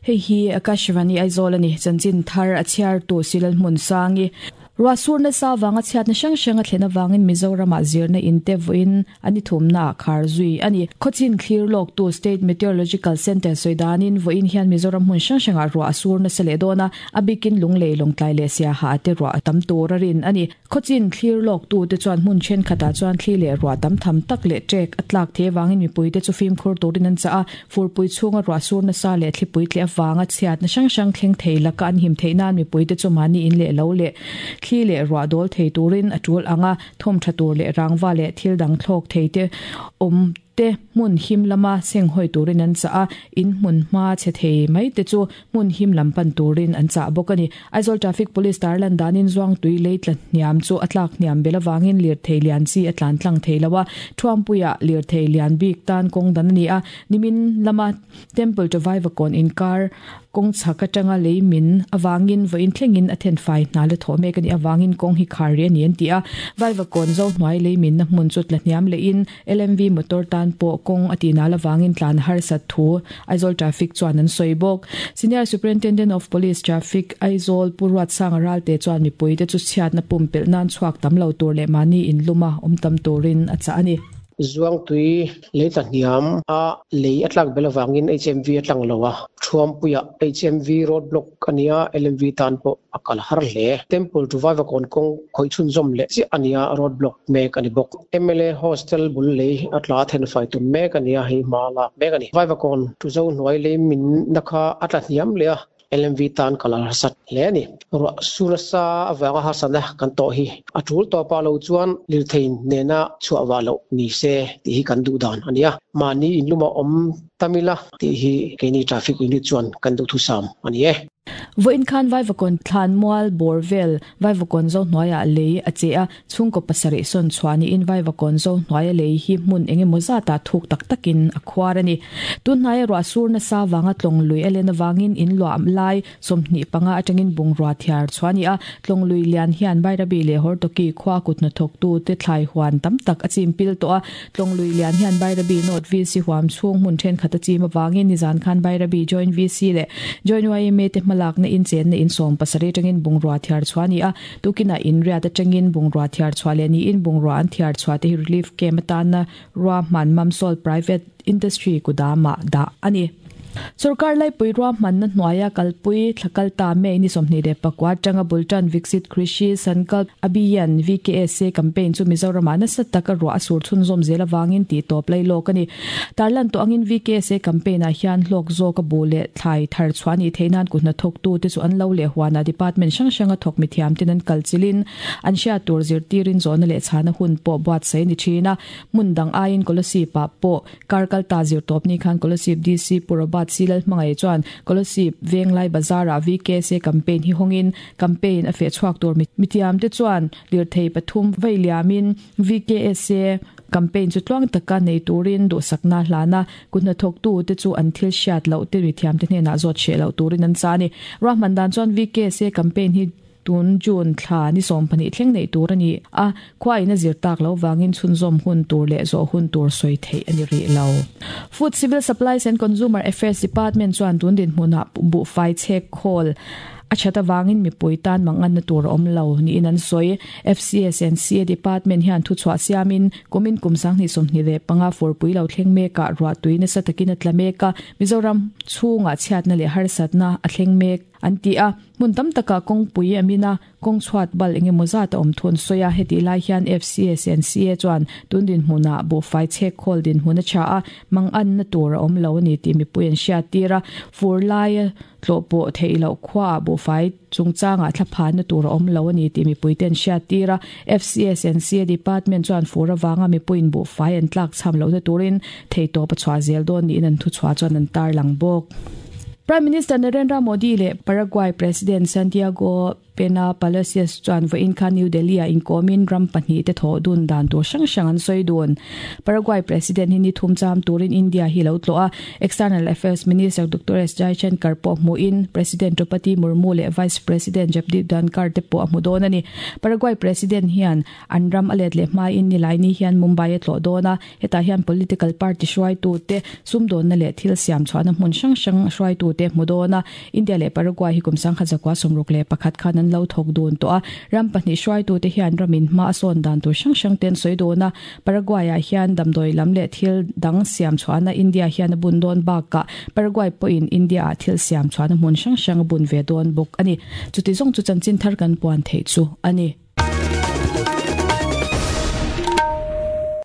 Hei hi Akashvani Aizawl a ni. Chanchin thar a chhiartu Silal Hmunsangi. Ruahsur nasa avanga chhiatna hrang hrang a thlen avangin Mizoramah zirna in te vawiin a ni thumnaah khar zui a ni. Khawchin thlir lawktu State Meteorological Centre sawi danin vawiin hian Mizoram hmun hrang hrangah ruah a sur nasa leh dawn a, a bikin Lunglei, Lawngtlai leh Siaha te ruah a tam tur a rin a ni. Khawchin thlir lawktute chuan hmun thenkhatah chuan thli leh ruah tam tham tak leh ṭek a tlak thei avangin mipuite chu fimkhur turin an chah a, furpui chhunga ruah sur nasa leh thlipui tleh avanga chhiatna hrang hrang thleng thei laka an him theih nan mipuite chu mahni in leh lo leh thli leh ruah dawl thei turin a tul ang a, thawm tha tur leh rangva leh thil dang thlawk thei te awm te hmun him lama senghawi turin an chah a, in hmun hma chhe thei mai te chu hmun him lam pan turin an chah bawk a ni. Aizawl Traffic Police tarlan danin Zuangtui lei tla hniam chu a tlak hniam bel avangin lirthei lian chi a tlan tlang thei lo a, Thuampuia lirthei lian bik tan kawng dan a ni a, nimin lama Temple to Vaivakawn inkar kawng chhak atanga lei min avangin vawiin thlengin a thenfai hna la thawh mek a nih avangin kawng hi khar rih a ni an ti a, Vaivakawn Zohnuai lei minna hmun chu tla hniam lehin LMV motor tan pawh kawng a tih nal avangin tlan harsat thu Aizawl Traffic chuan an sawi bawk. Senior Superintendent of Police, Traffic, Aizawl Pu Ruatsanga Ralte chuan mipuite chu chhiatna pumpelh nan chhuak tam lo tur leh mahni inluma awm tam turin a chah a ni. Zuangtui lei tla hniam a lei a tlak bel avangin HMV a tlang lo a, Thuampuiah HMV road block a nia, LMV tan pawh a kal har hle. Temple to Vaivakawn kawng khawih chhunzawm leh chiah a nia, road block mek a ni bawk. Mla hostel bul lei a tla thenfai tum mek a nia, hei hma lak mek a ni. Vaivakawn to Zohnuai lei minna kha a tla hniam leh a, LMV tan kal a harsat hle a ni. Ruah su nasa avanga harsatna kan tawh hi a tul tawpah lo chuan lirthei nena chhuah vah loh ni se tih hi kan duh dan a ni a. Mahni inluma awm tam ila tih hi keini traffic unit chuan kan duhthusam a ni e. Vawiin khan Vaivakawn thlanmual bawr vel Vaivakawn zo hnuaiah lei a che a, chhungkaw pasarih sawn chhuah niin Vaivakawn zo hnuaia lei hi hmun eng emaw zatah thuk tak takin a khuar a ni. Tun hnaia ruah sur nasa vanga tlawng lui a len avangin in luah lai 25 atangin bungrua thiar chhuah a ni a, tlawng lui lian hian Bairabi leh Hortoki khua kut hnathawktu te thlai huan tam tak a chim pil tawh a, Tlawng lui lian hian Bairabi North VC huam chhung hmun thenkhat a chim avangin nizan khan Bairabi Joint VC leh Joint yma te hmalakna inchenna in 70 atangin bungrua thiar chhuah a ni a, tukinah inriat atangin bungrua thiar chhuah leh niin bungrua an thiar chhuah te hi relief camp atana ruahman Mamsol Private Industry kudamah dah a ni. Sorkar laipui ruahmanna hnuaia kalpui thla kal ta May ni 24 atanga bul tan Viksit Krishi Sankalp Abhiyan, VKSA, campaign chu Mizoramah nasa taka ruah a sur chhunzawm zel avangin tih tawp lai lawk a ni. Tarlan tawh angin VKSA campaign ah hian hlawk zawk a bu leh thlai thar chhuah a nih theih nan kut hnathawktute chu an lo leh huanah department hrang hranga thawk mithiam ten an kal chilhin an hriat tur zirtirin zawhna leh chhana hun pawh buatsaih a ni thin a. Hmun dang aiin Kolasib ah pawh Kar kal ta zir tawp ni khan Kolasib DC Pu Robert C Lalhmangaih chuan Kolasib Venglai Bazar-ah VKSA campaign hi hawngin campaign a feh chhuak tur mitiam te chuan lirthei pathum vei liamin VKSA campaign chu tluang taka nei turin duhsakna hlan a, kut hnathawktu te chu an thil hriat loh te mithiam te hnenah zawt hreh loh turin an chah a ni. Ruahman dan chuan VKSA campaign hi Tun June thla ni 12 thleng neih tur a ni a, khua in a zir tak loh vangin chhunzawm hun tur leh zawh hun tur sawi theih a ni rih lo. Food, Civil Supplies and Consumer Affairs Department chuan tun dinhmunah buhfai chhek khawl a that avangin mipui tan manganna tur a awm lo niin an sawi. FCS and CA Department hian thuchhuah siamin kumin kum 2025 furpui lo thleng mekah ruahtui nasa takin a tla mek a, Mizoram chhungah chhiatna leh harsatna a thleng mek an ti a. Hmun tam takah kawngpui a min a, kawng chhuat bal eng emaw zat a awm thu an sawi a, hetih lai hian FCS and CA chuan tun dinhmunah buhfai chhek khawl dinhmun a tha a, manganna tur a awm lo a ni tih mipui an hriat tir a, fur laia tlawh pawh theih loh khuaah buhfai chungchangah thlaphanna tur a awm lo a ni tih mipuite an hriat tir a, FCS and CA department chuan fur avanga mipuiin buhfai an tlak cham lohna turin theihtawp a chhuah zel dawn niin an thuchhuah chuan an tarlang bawk. Prime Minister Narendra Modi leh Paraguay President Santiago Pena Palacios chuan vawiin khan New Delhi-ah inkawmin ram pahnihte thawh dun dan tur hrang hrang an sawi dun. Paraguay President hi ni thum cham turin India hi lo tlawh a, External Affairs Minister Doctor S Jaishankar pawh hmuhin President Draupadi Murmu leh Vice President Jagdeep Dhankhar te pawh a hmu dawn a ni. Paraguay President hian an ram a let leh hmain Nilaini hian Mumbai a tlawh dawn a, Hetah hian political party hruaitute, sumdawnna leh thil siam chhuahna hmun hrang hrang hruaitute hmu dawn a. India leh Paraguay hi kum 1961 khan an lo thawk dun tawh a. Ram pahnih hruaitute hian ramin hma a sawn dan tur hrang hrang te an sawi dawn a. Paraguay-ah hian damdawi lam leh thil dang siam chhuahna India hian a bun dawn bakah Paraguay pawhin India-ah thil siam chhuahna hmun hrang hrang a bun ve dawn bawk a ni. Chuti zawng chu chanchin thar kan puan theih chu a ni.